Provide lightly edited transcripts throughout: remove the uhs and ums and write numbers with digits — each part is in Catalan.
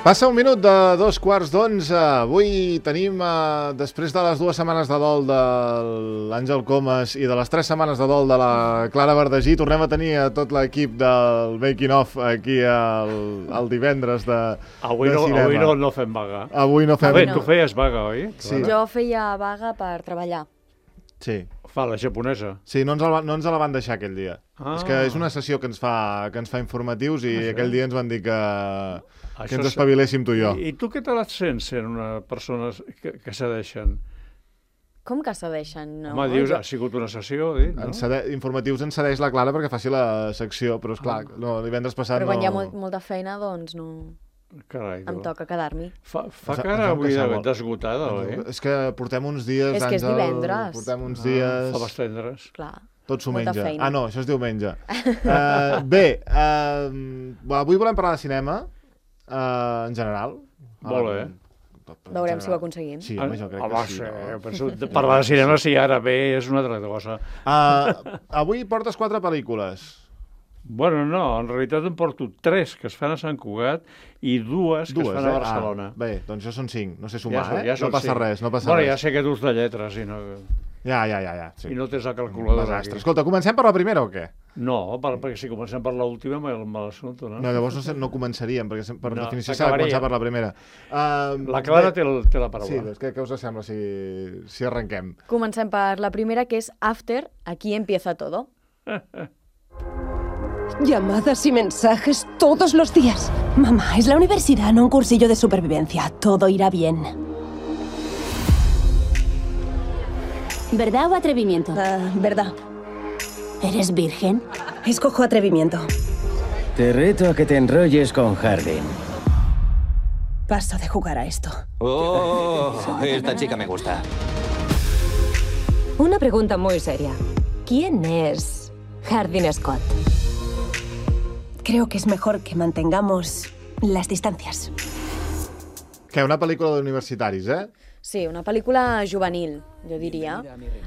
Passa un minut de 2:15. Avui tenim, després de les 2 setmanes de dol de l'Àngel Comas i de les 3 setmanes de dol de la Clara Verdagí, tornem a tenir a tot l'equip del Making Of aquí el divendres de cinema. Avui no fem vaga. Avui no fem... Bé, tu feies vaga, oi? Sí. Jo feia vaga per treballar. Sí. Fa la japonesa. Sí, no ens la van deixar aquell dia. És que és una sessió que ens fa informatius i aquell dia ens van dir que ens espaviléssim tu i jo. I tu què te les sents sent una persona que cedeixen? Com que cedeixen? No? Home, dius, ha sigut una sessió, no? Informatius ens cedeix la Clara perquè faci la secció, però esclar, divendres passat Però quan hi ha molta feina, doncs no... Carai, em toca quedar-m'hi. Fa cara avui d'esgotada, oi? És que portem uns dies... És que és divendres. Portem uns dies... Faves tendres. Clar. Tot s'ho menja. Ah, no, això és diumenge. Bé, avui volem parlar de cinema, en general. Molt bé. Veurem si ho aconseguim. Sí, home, jo crec que sí. Penso, parlar de cinema, si ara bé, és una altra cosa. Avui portes 4 pel·lícules. Bueno, no, en realitat em porto 3 que es fan a Sant Cugat i 2 que es fan a Barcelona. Bé, doncs ja són 5, no sé sumar, ja no passa res, no passa res. Bueno, ja sé que dus de lletres i no... Ja. Sí. I no tens la calculadora aquí. Escolta, comencem per la primera o què? No, perquè si comencem per l'última me l'assumpto, no? No, llavors no començaríem, perquè per definició s'ha de començar per la primera. La Clara té la paraula. Sí, doncs què us sembla si arrenquem? Comencem per la primera, que és After, aquí empieza todo. Llamadas y mensajes todos los días. Mamá, es la universidad, no un cursillo de supervivencia. Todo irá bien. ¿Verdad o atrevimiento? Verdad. ¿Eres virgen? Escojo atrevimiento. Te reto a que te enrolles con Hardin. Paso de jugar a esto. Oh, esta chica me gusta. Una pregunta muy seria. ¿Quién es Hardin Scott? Creo que es mejor que mantengamos las distancias. Que una pel·lícula d'universitaris, Sí, una pel·lícula juvenil, jo diria.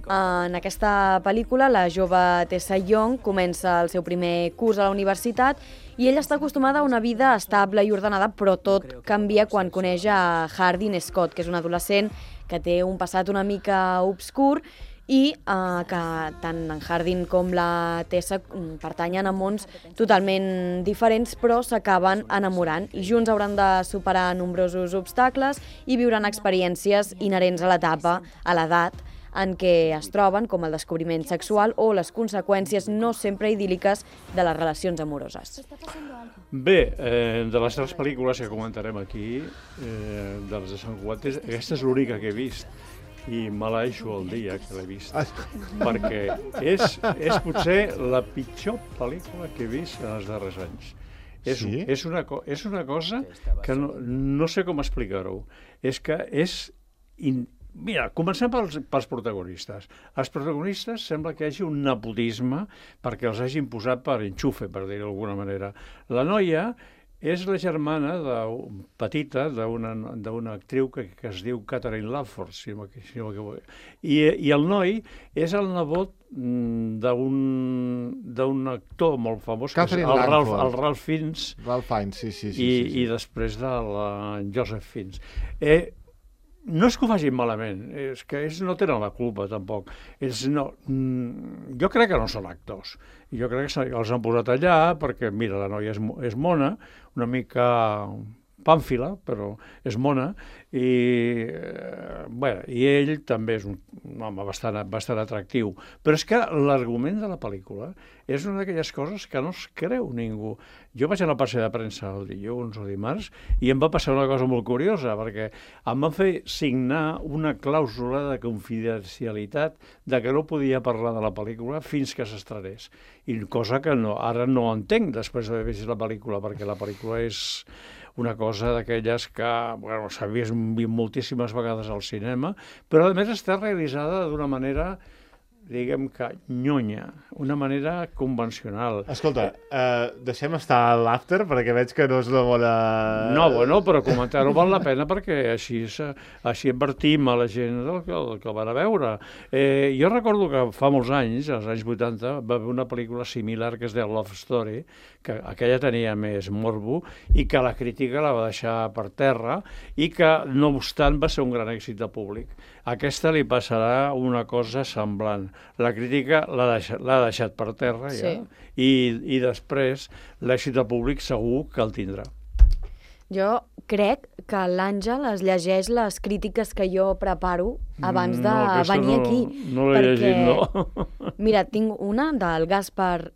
En aquesta pel·lícula, la jove Tessa Young comença el seu primer curs a la universitat i ella està acostumada a una vida estable i ordenada, però tot canvia quan coneix a Hardin Scott, que és un adolescent que té un passat una mica obscur i que tant en Hardin com la Tessa pertanyen a mons totalment diferents, però s'acaben enamorant i junts hauran de superar nombrosos obstacles i viuran experiències inherents a l'etapa, a l'edat en què es troben, com el descobriment sexual o les conseqüències no sempre idíl·liques de les relacions amoroses. Bé, de les 3 pel·lícules que comentarem aquí, de les de Sant Cugat, aquesta és l'única que he vist i malaixo el dia que l'he vist, perquè és potser la pitjor pel·lícula que he vist en els darrers anys. És una cosa que no sé com explicar-ho. És que és... Mira, comencem pels protagonistes. Els protagonistes sembla que hi hagi un nepotisme perquè els hagin posat per enxufe, per dir-ho d'alguna manera. La noia és la germana petita d'una actriu que es diu Catherine Langford, i el noi és el nebot d'un actor molt famós, que és el Ralph Fiennes, i després del Joseph Fiennes. No és que ho facin malament, és que ells no tenen la culpa, tampoc. Jo crec que no són actors. Jo crec que els han posat allà perquè, mira, la noia és mona, una mica pàmfila, però és mona, i ell també és un home bastant atractiu. Però és que l'argument de la pel·lícula és una d'aquelles coses que no es creu ningú. Jo vaig anar a passeig de premsa el dilluns o dimarts i em va passar una cosa molt curiosa, perquè em van fer signar una clàusula de confidencialitat de que no podia parlar de la pel·lícula fins que s'estrenés. I cosa que ara no entenc després d'haver vist la pel·lícula, perquè la pel·lícula és una cosa d'aquelles que s'ha vist moltíssimes vegades al cinema, però a més està realitzada d'una manera diguem que nyonya, una manera convencional. Escolta, deixem estar l'after, perquè veig que no és una bona... No, bueno, però comentar-ho val la pena perquè així advertim a la gent del que van a veure. Jo recordo que fa molts anys, als anys 80, va haver una pel·lícula similar que es deia Love Story, que aquella tenia més morbo i que la crítica la va deixar per terra i que, no obstant, va ser un gran èxit de públic. A aquesta li passarà una cosa semblant. La crítica l'ha deixat per terra ja, i després l'èxit de públic segur que el tindrà. Jo crec que l'Àngel es llegeix les crítiques que jo preparo abans de venir aquí. No l'he llegit, no. Mira, tinc una del Gaspar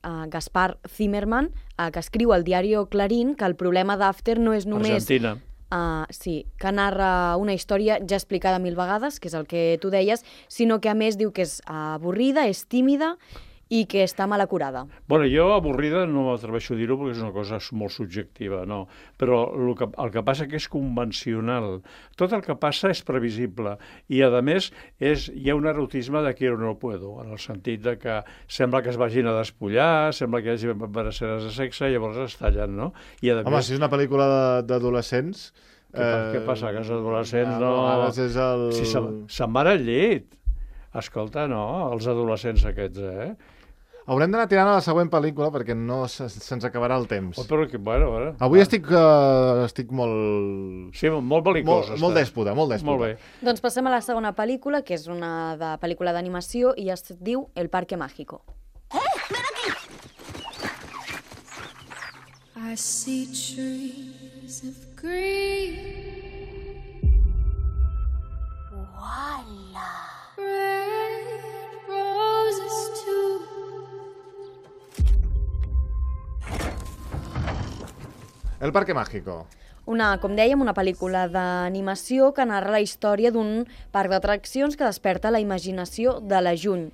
Zimmerman, que escriu al diario Clarín que el problema d'After no és només... Argentina. Sí, que narra una història ja explicada 1000 vegades, que és el que tu deies, sinó que a més diu que és avorrida, és tímida i que està mal acurada. Bueno, jo avorrida no m'atreveixo a dir-ho perquè és una cosa molt subjectiva, no. Però el que passa que és convencional. Tot el que passa és previsible i, a més, hi ha un erotisme de quiero no puedo, en el sentit de que sembla que es vagin a despullar, sembla que hi hagi escenes de sexe, llavors es tallen, no? Home, si és una pel·lícula d'adolescents... Què passa? Que els adolescents no... Si se'n van al llit. Escolta, no, els adolescents aquests, Haurem d'anar tirant a la següent pel·lícula perquè no se'ns acabarà el temps. Però, bueno. Avui estic molt... Sí, molt bel·licós. Molt dèspota, molt dèspota. Molt bé. Doncs passem a la segona pel·lícula, que és una pel·lícula d'animació i es diu El Parque Mágico. ¡Ven aquí! I see trees of green. ¡Wala! Red roses too. El Parque Mágico. Com dèiem, una pel·lícula d'animació que narra la història d'un parc d'atraccions que desperta la imaginació de la Jun,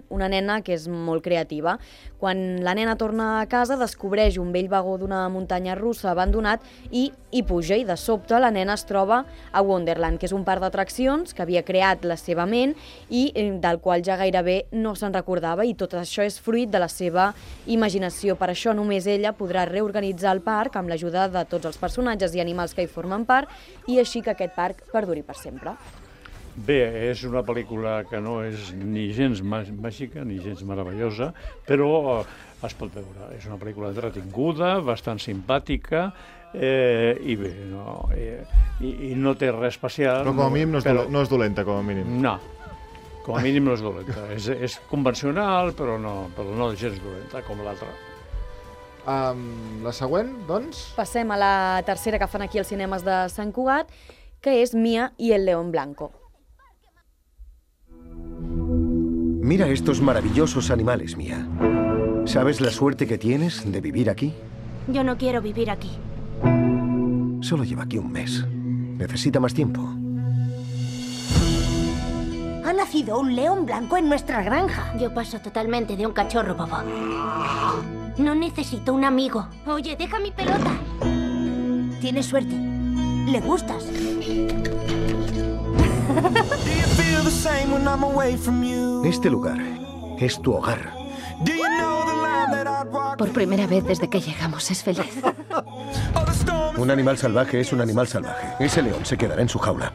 una nena que és molt creativa. Quan la nena torna a casa, descobreix un vell vagó d'una muntanya russa abandonat i hi puja, i de sobte la nena es troba a Wonderland, que és un parc d'atraccions que havia creat la seva ment i del qual ja gairebé no se'n recordava, i tot això és fruit de la seva imaginació. Per això només ella podrà reorganitzar el parc amb l'ajuda de tots els personatges i animals que hi formen part, i així que aquest parc perduri per sempre. Bé, és una pel·lícula que no és ni gens màgica ni gens meravellosa, però es pot veure. És una pel·lícula entretinguda, bastant simpàtica, i bé, i no té res especial. Però com a mínim no és dolenta, com a mínim. No, com a mínim no és dolenta. És convencional, però no és gens dolenta, com l'altra. La següent, doncs? Passem a la tercera que fan aquí als cinemes de Sant Cugat, que és Mia y el León Blanco. Mira estos maravillosos animales, Mia. ¿Sabes la suerte que tienes de vivir aquí? Yo no quiero vivir aquí. Solo lleva aquí un mes. Necesita más tiempo. Ha nacido un león blanco en nuestra granja. Yo paso totalmente de un cachorro bobo. No necesito un amigo. Oye, deja mi pelota. Tienes suerte. Le gustas. Este lugar es tu hogar. Por primera vez desde que llegamos es feliz. Un animal salvaje es un animal salvaje. Ese león se quedará en su jaula.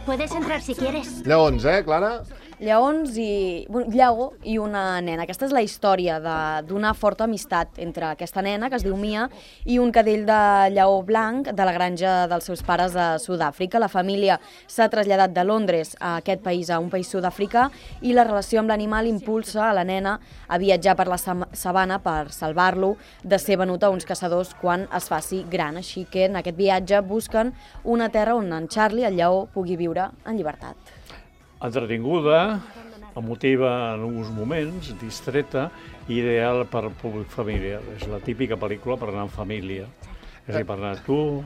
Puedes entrar si quieres. Lleons, Clara? Lleons i... Lleó i una nena. Aquesta és la història d'una forta amistat entre aquesta nena, que es diu Mia, i un cadell de lleó blanc de la granja dels seus pares a Sud-àfrica. La família s'ha traslladat de Londres a aquest país, a un país sud-africà, i la relació amb l'animal impulsa a la nena a viatjar per la sabana per salvar-lo de ser venut a uns caçadors quan es faci gran. Així que en aquest viatge busquen una terra on en Charlie, el lleó, pugui viure en llibertat. Entretinguda, emotiva en alguns moments, distreta, ideal per públic familiar. És la típica pel·lícula per anar en família. És a dir, per anar tu,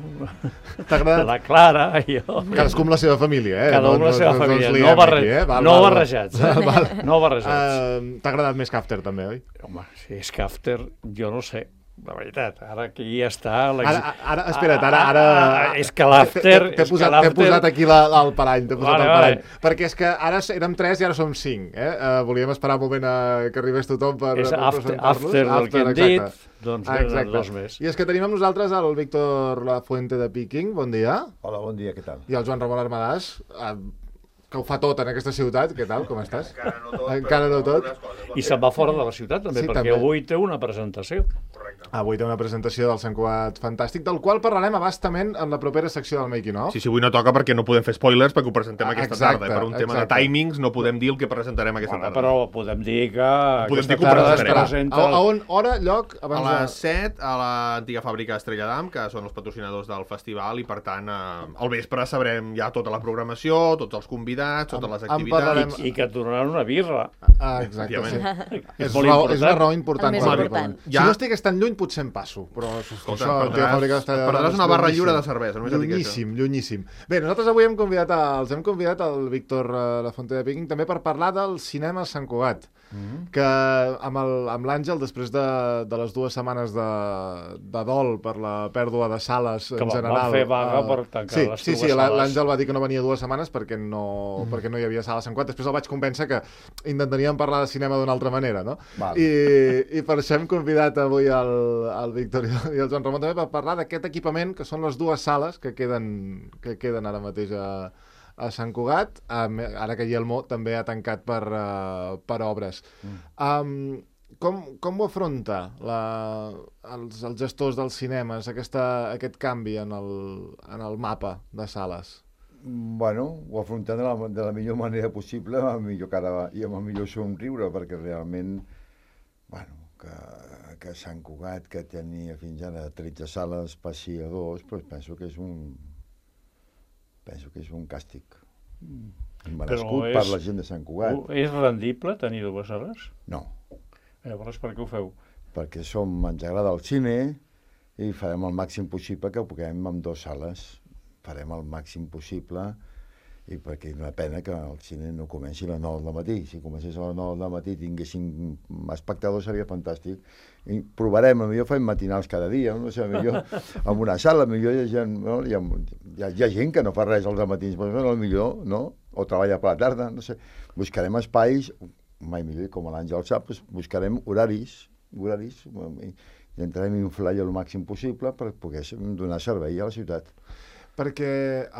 la Clara, jo... Cadascú amb la seva família, Cada un amb la seva família, no barrejats. No barrejats. T'ha agradat més que After, també, oi? Home, si és que After, jo no sé. de veritat, ara que ja està... Ara, espera't, ara... És que l'after... T'he posat aquí el parany, perquè és que ara érem 3 i ara som 5, volíem esperar un moment que arribés tothom per presentar-los. És after del que hem dit, doncs venen 2 més. I és que tenim amb nosaltres el Víctor Lafuente de Picking, bon dia. Hola, bon dia, què tal? I el Joan Ramon Armadàs, que ho fa tot en aquesta ciutat, què tal, com estàs? Encara no tot. I se'n va fora de la ciutat, també, perquè avui té una presentació. Avui té una presentació del Sant Cugat Fantàstic, del qual parlarem abastament en la propera secció del Making of. Sí, avui no toca perquè no podem fer spoilers perquè ho presentem aquesta tarda. Per un tema de timings no podem dir el que presentarem aquesta tarda. Però podem dir que aquesta tarda es presenta... A on, hora, lloc? A les 7, a l'antiga fàbrica Estrella d'Am, que són els patrocinadors del festival, i per tant, al vespre sabrem ja tota la programació, tots els convidats, totes les activitats... I que et donaran una birra. Exacte, sí. És una raó important. Si no estigués tan lluny, potser em passo, però perdràs una barra lliure de cervesa. Llunyíssim. Bé, nosaltres avui els hem convidat el Víctor Lafuente de Picking també per parlar del cinema Sant Cugat, que amb l'Àngel, després de les 2 setmanes de dol per la pèrdua de sales en general... Que van fer vaga per tancar les 2 sales. L'Àngel va dir que no venia 2 setmanes perquè no hi havia sala a Sant Cugat. Després el vaig convèncer que intentaríem parlar de cinema d'una altra manera, no? I per això hem convidat avui el Víctor i el Joan Ramon també per parlar d'aquest equipament, que són les 2 sales que queden ara mateix a Sant Cugat, ara que Yelmo també ha tancat per obres. Com ho afronta els gestors dels cinemes, aquest canvi en el mapa de sales? Bueno, ho afrontem de la millor manera possible, amb el millor cara i amb el millor somriure, perquè realment, bueno, que Sant Cugat, que tenia fins ara 13 sales, passi a 2, doncs penso que és un càstig. Merescut per la gent de Sant Cugat. És rendible tenir 2 sales? No. Llavors, per què ho feu? Perquè ens agrada el cine i farem el màxim possible que ho puguem amb 2 sales. Farem el màxim possible i perquè és una pena que el cine no comenci a les 9 del matí. Si comencés a les 9 del matí i tinguéssim espectadors seria fantàstic. I provarem, potser fem matinals cada dia, no sé, millor en una sala, millor hi ha gent que no fa res als matins, però millor, no? O treballa per la tarda, no sé. Buscarem espais, mai millor, com l'Àngel sap, buscarem horaris, i intentarem inflar el màxim possible per poder donar servei a la ciutat. Perquè,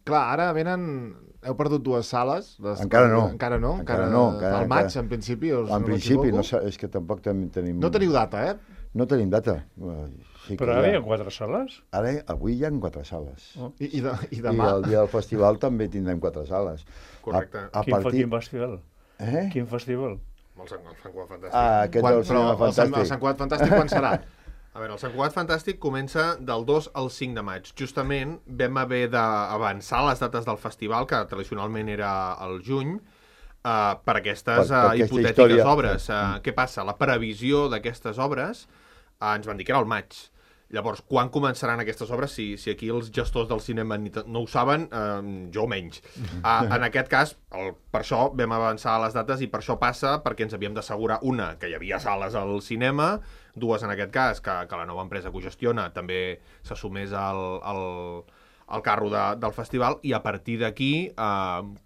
clar, ara heu perdut 2 sales. Encara no. Al maig, en principi, en principi, no, és que tampoc tenim... No teniu data, No tenim data. Sí, però ara hi ha 4 sales? Avui hi ha 4 sales. I demà? I el dia del festival també tindrem 4 sales. Correcte. Quin festival? Quin festival? El Sant Cugat Fantàstic. El Sant Cugat Fantàstic quan serà? A veure, el Sant Cugat Fantàstic comença del 2 al 5 de maig. Justament vam haver d'avançar les dates del festival, que tradicionalment era al juny, per aquestes hipotètiques obres. Què passa? La previsió d'aquestes obres ens van dir que era al maig. Llavors, quan començaran aquestes obres? Si aquí els gestors del cinema no ho saben, jo menys. En aquest cas, per això vam avançar les dates i per això passa, perquè ens havíem d'assegurar, una, que hi havia sales al cinema, 2, en aquest cas, que la nova empresa que ho gestiona també s'assumés al carro del festival, i a partir d'aquí,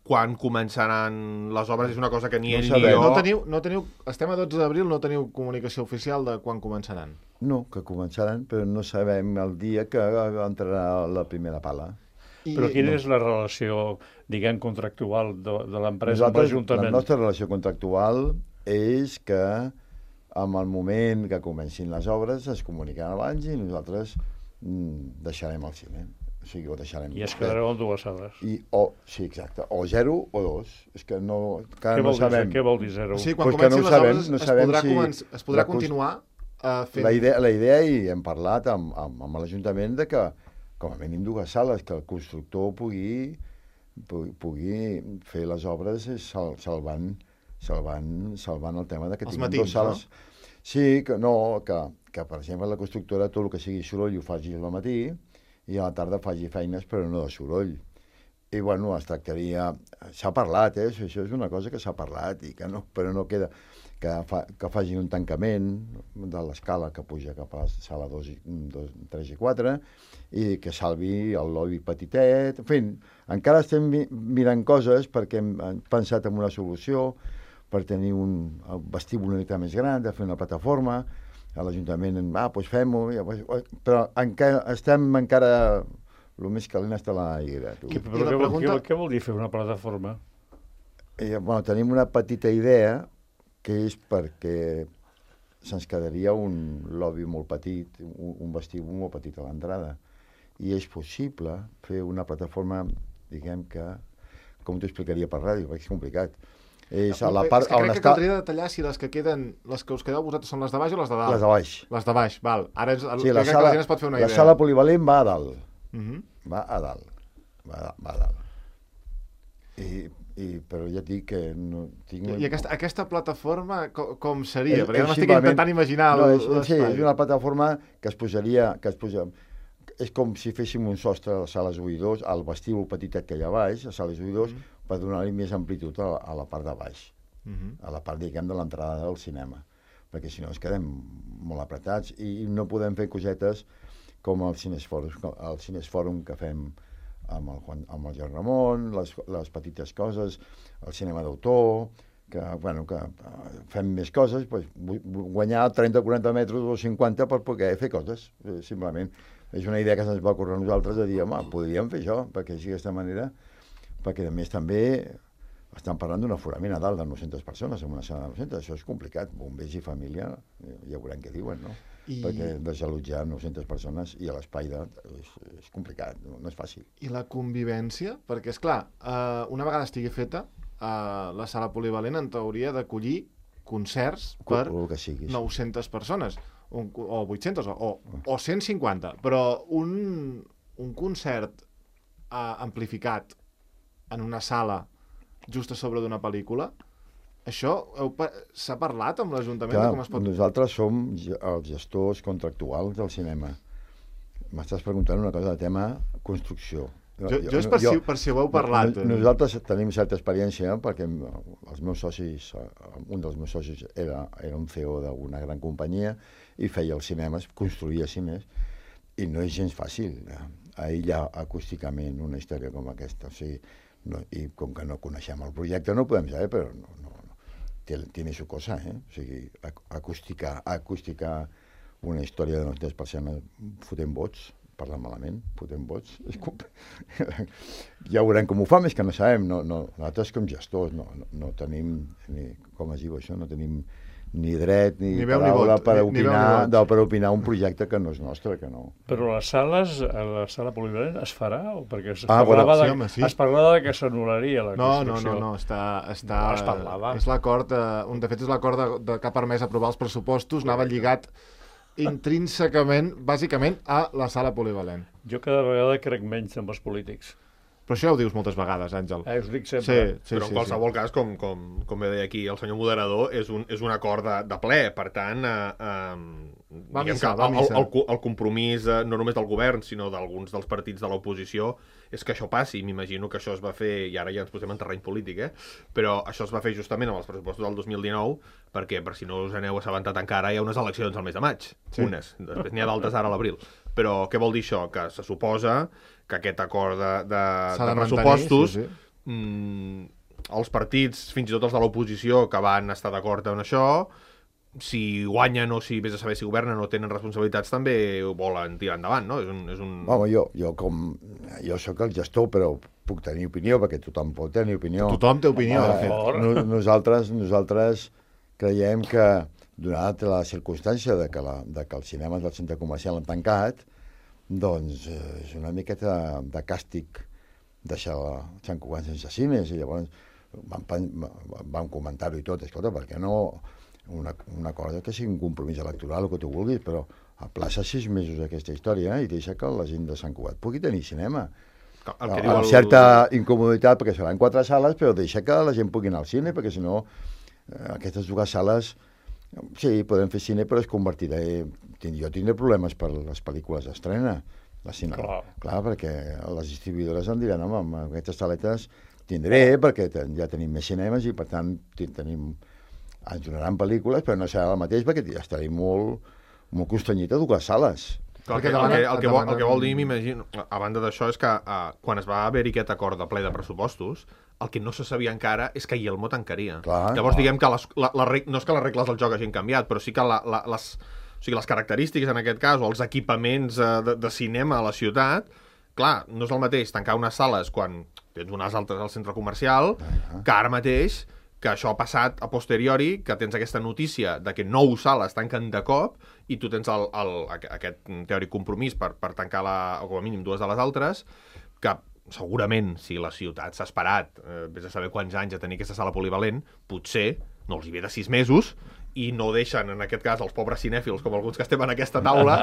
quan començaran les obres, és una cosa que ni ell ni jo... No teniu, estem a 12 d'abril, no teniu comunicació oficial de quan començaran? No, que començaran, però no sabem el dia que entrarà la primera pala. Però quina és la relació, diguem, contractual de l'empresa amb l'Ajuntament? La nostra relació contractual és que en el moment que comencin les obres es comunicaran abans i nosaltres deixarem el cine. O sigui, ho deixarem. I es quedareu amb 2 sales. Sí, exacte. O 0 o 2. És que encara no sabem. Què vol dir 0? Sí, quan comencin les obres es podrà continuar fent... La idea, i hem parlat amb l'Ajuntament, de que com a mínim 2 sales, que el constructor pugui fer les obres salvant el tema de que tinguin 2 sales. No? Sí, que per exemple la constructora tot el que sigui soroll ho faci al matí i a la tarda faci feines però no de soroll. I bueno, es tractaria... S'ha parlat, això és una cosa que s'ha parlat, però no queda... que facin un tancament de l'escala que puja cap a la sala 2, 3 i 4 i que salvi el lobby petitet. En fi, encara estem mirant coses perquè hem pensat en una solució per tenir un vestíbul una mica més gran, de fer una plataforma. A l'Ajuntament, doncs fem-ho, però estem encara... El més calent està a l'aire. Però què vol dir fer una plataforma? Tenim una petita idea que és perquè se'ns quedaria un lobby molt petit, un vestíbul molt petit a l'entrada. I és possible fer una plataforma, diguem que, com t'ho explicaria per ràdio, perquè és complicat. És a la part on està... Caldria detallar si les que us quedeu vosaltres són les de baix o les de dalt. Les de baix. Les de baix, val. Ara sí, la gent es pot fer una idea. La sala polivalent va a dalt. Va a dalt. Va a dalt. Però ja et dic que no tinc... I aquesta plataforma com seria? Perquè ara m'estic intentant imaginar l'espai. Sí, és una plataforma que es posaria... És com si féssim un sostre a les sales 1 i 2, al vestíbul petitet que hi ha a baix, a sales 1 i 2, per donar-li més amplitud a la part de baix, a la part, diguem, de l'entrada del cinema, perquè si no ens quedem molt apretats i no podem fer cosetes com el Cinesfòrum que fem amb el Joan Ramon, les petites coses, el cinema d'autor, que fem més coses, guanyar 30 o 40 metres o 50 per poder fer coses, simplement. És una idea que se'ns va ocórrer a nosaltres de dir, home, podríem fer això, perquè així d'aquesta manera, perquè a més també estan parlant d'un aforament a dalt de 900 persones en una sala de 900, això és complicat, bombers i família, ja veurem què diuen, no? Perquè desallotjar 900 persones i a l'espai és complicat, no és fàcil. I la convivència? Perquè, esclar, una vegada estigui feta, la sala polivalent en teoria d'acollir concerts per 900 persones, o 800 o 150, però un concert amplificat en una sala just a sobre d'una pel·lícula, això s'ha parlat amb l'Ajuntament de com es pot... Nosaltres som els gestors contractuals del cinema. M'estàs preguntant una cosa de tema construcció. Jo és per si ho heu parlat. Nosaltres tenim certa experiència perquè els meus socis, un dels meus socis era un CEO d'una gran companyia i feia els cinemes, construïa cines, i no és gens fàcil aïllar acústicament una història com aquesta. O sigui, i com que no coneixem el projecte no podem saber, però tiene su cosa, O sigui, acústica una història de 900 persones fotent vots, parlant malament, fotent vots, ja veurem com ho fa, més que no sabem, nosaltres com gestors no tenim, com es diu això, no tenim ni dret ni paraula per opinar un projecte que no és nostre, que no. Però les sales, la sala polivalent es farà? Perquè es parlava que s'anul·laria la construcció. No, es parlava. És l'acord, de fet és l'acord que ha permès aprovar els pressupostos, anava lligat intrínsecament, bàsicament, a la sala polivalent. Jo cada vegada crec menys en els polítics. Però això ja ho dius moltes vegades, Àngel. Us dic sempre. Sí, però en qualsevol cas, com bé deia aquí el senyor moderador, és un acord de ple. Per tant, el compromís no només del govern, sinó d'alguns dels partits de l'oposició, és que això passi. M'imagino que això es va fer, i ara ja ens posem en terreny polític, però això es va fer justament amb els pressupostos del 2019, perquè, per si no us n'heu assabentat encara, hi ha unes eleccions al mes de maig. Unes. Després n'hi ha d'altres ara a l'abril. Però què vol dir això? Que se suposa que aquest acord de pressupostos, els partits, fins i tot els de l'oposició, que van estar d'acord en això, si guanyen o si vés a saber si governen o tenen responsabilitats, també ho volen tirar endavant, no? Home, jo soc el gestor, però puc tenir opinió, perquè tothom pot tenir opinió. Tothom té opinió, de fet. Nosaltres creiem que, donat la circumstància de que els cinemes del centre comercial han tancat, doncs és una miqueta de càstig deixar Sant Cugat sense cines, i llavors vam comentar-ho i tot, escolta, perquè no una cosa que sigui un compromís electoral o que tu vulguis, però aplaça 6 mesos aquesta història i deixa que la gent de Sant Cugat pugui tenir cinema. Amb certa incomoditat, perquè seran 4 sales, però deixa que la gent pugui anar al cine, perquè si no aquestes 2 sales, sí, podem fer cine, però es convertirà... Jo tindré problemes per les pel·lícules d'estrena. Clar, perquè les distribuïdores em diran, home, amb aquestes saletes tindré, perquè ja tenim més cinemes i, per tant, tenim ens donaran pel·lícules, però no serà el mateix perquè estaré molt constranyit a dues sales. El que vol dir, m'imagino, a banda d'això, és que quan es va haver-hi aquest acord de ple de pressupostos, el que no se sabia encara és que Yelmo tancaria. Llavors, diguem que no és que les regles del joc hagin canviat, però sí que les característiques, en aquest cas, o els equipaments de cinema a la ciutat, clar, no és el mateix tancar unes sales quan tens unes altres al centre comercial, que ara mateix, que això ha passat a posteriori, que tens aquesta notícia de que 9 sales tanquen de cop i tu tens aquest teòric compromís per tancar o com a mínim 2 de les altres, que segurament, si la ciutat s'ha esperat, vés a saber quants anys a tenir aquesta sala polivalent, potser no els hi ve de 6 mesos i no deixen, en aquest cas, els pobres cinèfils, com alguns que estem en aquesta taula,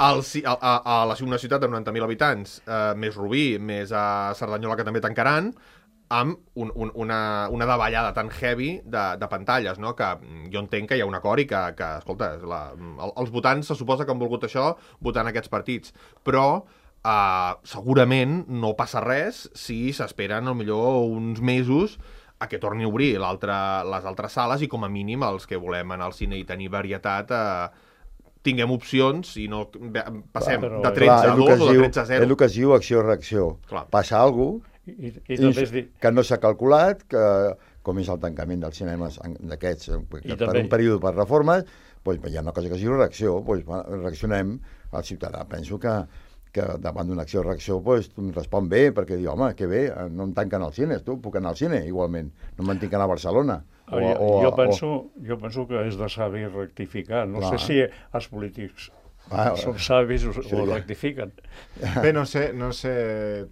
a una ciutat de 90.000 habitants, més Rubí, més a Cerdanyola, que també tancaran, amb una davallada tan heavy de pantalles, no? Que jo entenc que hi ha un acord i que escolta, els votants se suposa que han volgut això votant aquests partits, però segurament no passa res si s'esperen millor uns mesos a que torni a obrir les altres sales i com a mínim els que volem anar al cine i tenir varietat tinguem opcions i no passem de 13 a 2 o de 13 a 0. És el que es diu acció-reacció. Passa alguna cosa que no s'ha calculat, que com és el tancament dels cinemes d'aquests per un període per reformes, hi ha una cosa que es diu reacció, reaccionem al ciutadà. Penso que davant d'una acció-reacció respon bé, perquè diu, home, que bé, no em tanquen als cines, tu, puc anar al cine igualment, no me'n tinc que anar a Barcelona. Jo penso que és de savi rectificar. No sé si els polítics són savis o rectifiquen. Bé, no sé,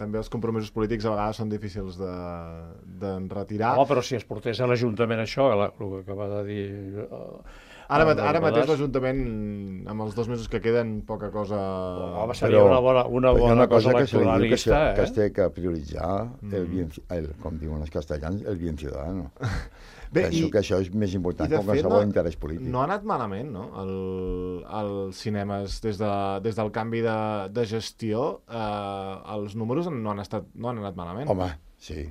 també els compromisos polítics a vegades són difícils de retirar. Però si es portés a l'Ajuntament això, el que acaba de dir... Ara mateix l'Ajuntament, amb els 2 mesos que queden, poca cosa... Seria una bona cosa electoralista. Que es té que prioritzar, com diuen els castellans, el bien ciudadano. Penso que això és més important que qualsevol interès polític. No ha anat malament, no? Els cinemes, des del canvi de gestió, els números no han anat malament. Home, sí.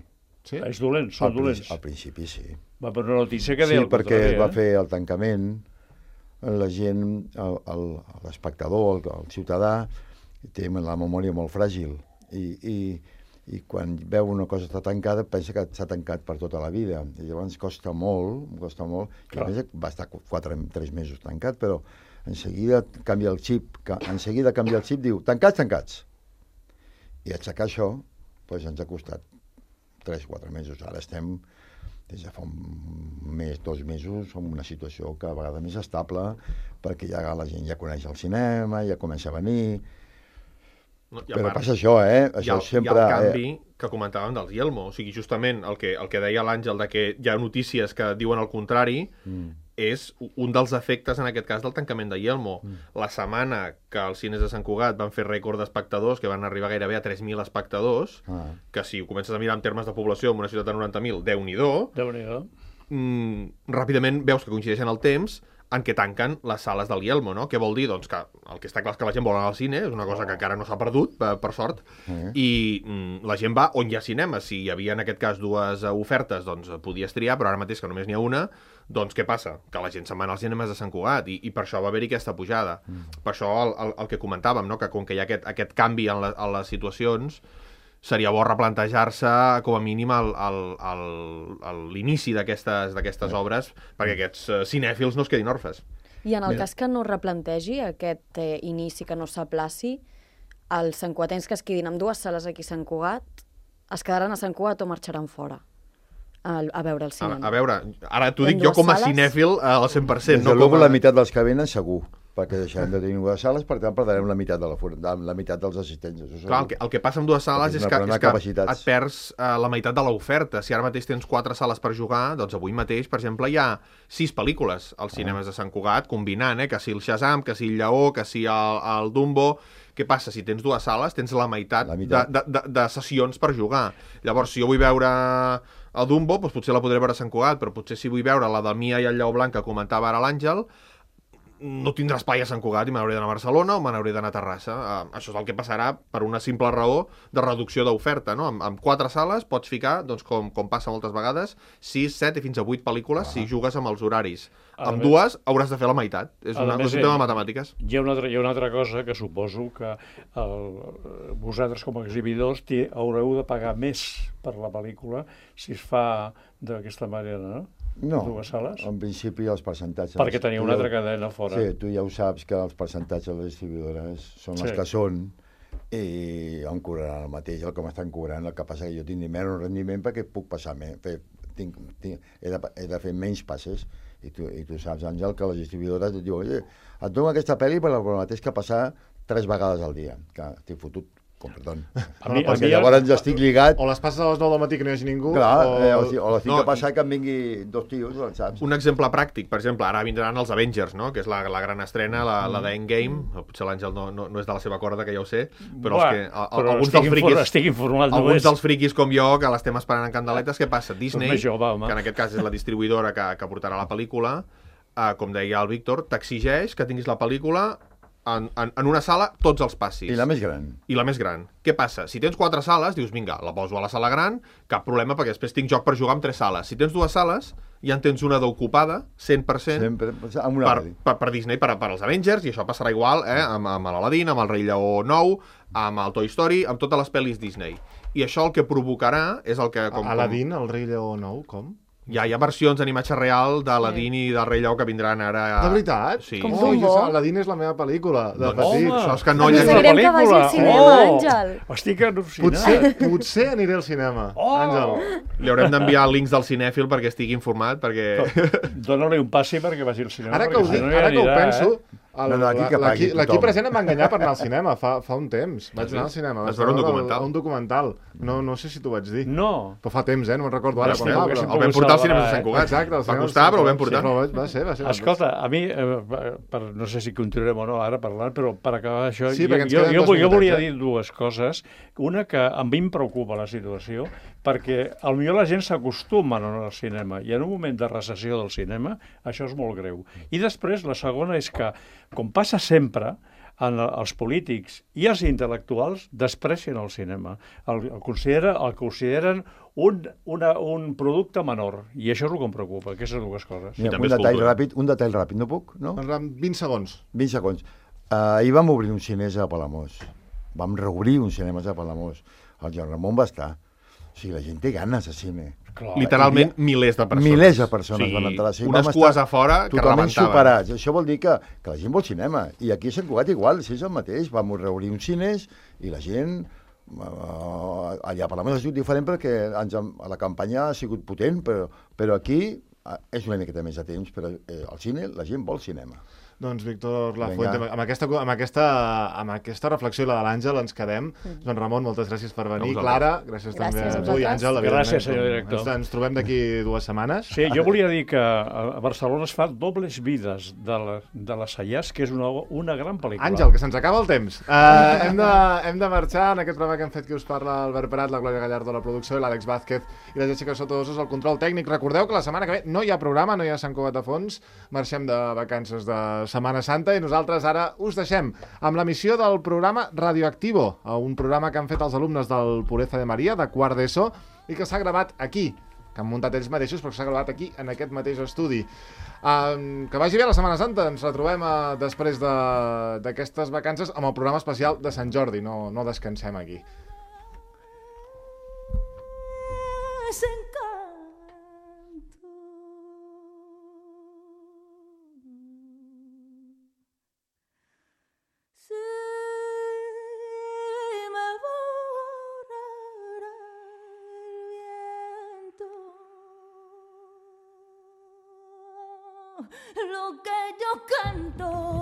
És dolents, són dolents. Al principi, sí. Va, però una notícia que deia el contrari. Sí, perquè es va fer el tancament, la gent, l'espectador, el ciutadà, té la memòria molt fràgil i quan veu una cosa està tancada pensa que s'ha tancat per tota la vida i llavors costa molt i a més va estar 3 mesos tancat, però en seguida canvia el xip, diu tancats i aixecar això ens ha costat 3-4 mesos. Ara estem des de fa un mes, 2 mesos, en una situació que a vegades més estable perquè ja la gent ja coneix el cinema, ja comença a venir. Però passa això, Això sempre... Hi ha el canvi que comentàvem dels Yelmo. O sigui, justament el que deia l'Àngel de que hi ha notícies que diuen el contrari és un dels efectes, en aquest cas, del tancament de Yelmo. La setmana que els cines de Sant Cugat van fer rècord d'espectadors, que van arribar gairebé a 3.000 espectadors, que si ho comences a mirar en termes de població en una ciutat de 90.000, Déu-n'hi-do, ràpidament veus que coincideixen el temps en què tanquen les sales del Yelmo, no? Què vol dir? Doncs que el que està clar és que la gent vol anar al cine, és una cosa que encara no s'ha perdut, per sort, i la gent va on hi ha cinema. Si hi havia, en aquest cas, 2 ofertes, doncs podies triar, però ara mateix que només n'hi ha una, doncs què passa? Que la gent se'n va als cinemes de Sant Cugat, i per això va haver-hi aquesta pujada. Per això el que comentàvem, no? Que com que hi ha aquest canvi en les situacions, seria bo replantejar-se com a mínim l'inici d'aquestes obres perquè aquests cinèfils no es quedin orfes. I en el cas que no replantegi aquest inici, que no s'aplaci, els santcugatencs que es quedin amb 2 sales aquí a Sant Cugat es quedaran a Sant Cugat o marxaran fora a veure el cinema? A veure, ara t'ho dic jo com a cinèfil al 100%. Des de luego la meitat dels que venen segur, perquè deixarem de tenir 2 sales, per tant perdrem la meitat dels assistents. Clar, el que passa amb 2 sales és que et perds la meitat de l'oferta. Si ara mateix tens 4 sales per jugar, doncs avui mateix, per exemple, hi ha 6 pel·lícules als cinemes de Sant Cugat, combinant, que si el Shazam, que si el Lleó, que si el Dumbo. Què passa? Si tens 2 sales, tens la meitat de sessions per jugar. Llavors, si jo vull veure el Dumbo, doncs potser la podré veure a Sant Cugat, però potser si vull veure la del Mia i el Lleó Blanc que comentava ara l'Àngel, no tindrà espai a Sant Cugat i me n'hauré d'anar a Barcelona o me n'hauré d'anar a Terrassa. Això és el que passarà per una simple raó de reducció d'oferta, no? Amb 4 sales pots ficar, doncs, com passa moltes vegades, 6, 7 i fins a 8 pel·lícules si jugues amb els horaris. Amb 2 hauràs de fer la meitat. És un tema de matemàtiques. Hi ha una altra cosa que suposo que vosaltres com a exhibidors haureu de pagar més per la pel·lícula si es fa d'aquesta manera, no? No, en principi els percentatges... Perquè teniu una altra cadena fora. Sí, tu ja ho saps que els percentatges de les distribuïdores són els que són i em cobraran el mateix, el que m'estan cobrant. El que passa que jo tinc menys rendiment perquè puc passar més. He de fer menys passes i tu saps, Àngel, que les distribuïdores et diuen et dono aquesta pel·li per el mateix que passar 3 vegades al dia, que t'he fotut perdó. Perquè llavors ja estic lligat. O les passes a les 9 del matí que no hi hagi ningú. Clar, o les tinc que passar que em vingui 2 tios, saps? Un exemple pràctic, per exemple, ara vindran els Avengers, no? Que és la gran estrena, la d'Endgame. Potser l'Àngel no és de la seva corda, que ja ho sé, però alguns dels friquis com jo, que l'estem esperant en candeletes, què passa? Disney, que en aquest cas és la distribuïdora que portarà la pel·lícula, com deia el Víctor, t'exigeix que tinguis la pel·lícula en una sala tots els passis. I la més gran. I la més gran. Què passa? Si tens 4 sales, dius, vinga, la poso a la sala gran, cap problema, perquè després tinc joc per jugar amb 3 sales. Si tens 2 sales, ja en tens una d'ocupada, 100%, sempre, amb una per Disney, per als Avengers, i això passarà igual amb l'Aladín, amb el Rei Lleó nou, amb el Toy Story, amb totes les pel·lis Disney. I això el que provocarà és el que... Aladín, el Rei Lleó nou, com? Hi ha versions d'animatge real d'Aladín i del Rei Lleó que vindran ara... De veritat? Sí. Aladín és la meva pel·lícula de petit. Això és que no hi ha la pel·lícula. Que vagi al cinema, Àngel. Estic al·lucinat. Potser aniré al cinema, Àngel. Li haurem d'enviar links del cinèfil perquè estigui informat, perquè... Dóna-li un passi perquè vagi al cinema. Ara que ho penso... L'equip present em va enganyar per anar al cinema fa un temps. Vaig anar al cinema. Vas veure un documental? Un documental. No sé si t'ho vaig dir. No. Però fa temps, no me'n recordo ara. El vam portar al cinema de Sant Cugat. Exacte. Va costar, però el vam portar. Va ser. Escolta, a mi, no sé si continuarem o no ara parlant, però per acabar això, jo volia dir 2 coses. Una, que a mi em preocupa la situació, perquè potser la gent s'acostuma a anar al cinema, i en un moment de recessió del cinema, això és molt greu. I després, la segona és que, com passa sempre, els polítics i els intel·lectuals desprecien el cinema. El consideren un producte menor, i això és el que em preocupa, aquestes 2 coses. Un detall ràpid, no puc? No? 20 segons. 20 segons. Ahir vam obrir un cinès a Palamós. Vam reobrir un cinema a Palamós. El Joan Ramon va estar. O sigui, la gent té ganes de cine. Clar, literalment milers de persones. Milers de persones van entrar. Sí, unes cues a fora que rebentaven. Superats. Això vol dir que la gent vol cinema. I aquí a Sant Cugat igual, si és el mateix. Vam reobrir un cines i la gent... allà a Palamós ha sigut diferent perquè la campanya ha sigut potent, però aquí és una miqueta més de temps, però al cine la gent vol cinema. Doncs, Víctor Lafuente, amb aquesta reflexió i la de l'Àngel ens quedem. Doncs, Ramon, moltes gràcies per venir. Clara, gràcies també a tu i Àngel. Gràcies, senyor director. Ens trobem d'aquí 2 setmanes. Sí, jo volia dir que a Barcelona es fa Dobles vides de la Sallàs, que és una gran pel·lícula. Àngel, que se'ns acaba el temps. Hem de marxar en aquest programa que hem fet qui us parla, Albert Prat, la Glòria Gallardo, la producció, i l'Àlex Vázquez i la Jessica Sotodosos, el control tècnic. Recordeu que la setmana que ve no hi ha programa, no hi ha Sant Cugat a fons. Marxem de vacances de Setmana Santa i nosaltres ara us deixem amb l'emissió del programa Radioactivo, un programa que han fet els alumnes del Pureza de Maria, de quart d'ESO, i que s'ha gravat aquí, que han muntat ells mateixos, però que s'ha gravat aquí, en aquest mateix estudi. Que vagi bé la Setmana Santa, ens retrobem després d'aquestes vacances amb el programa especial de Sant Jordi, no descansem aquí. Lo que yo canto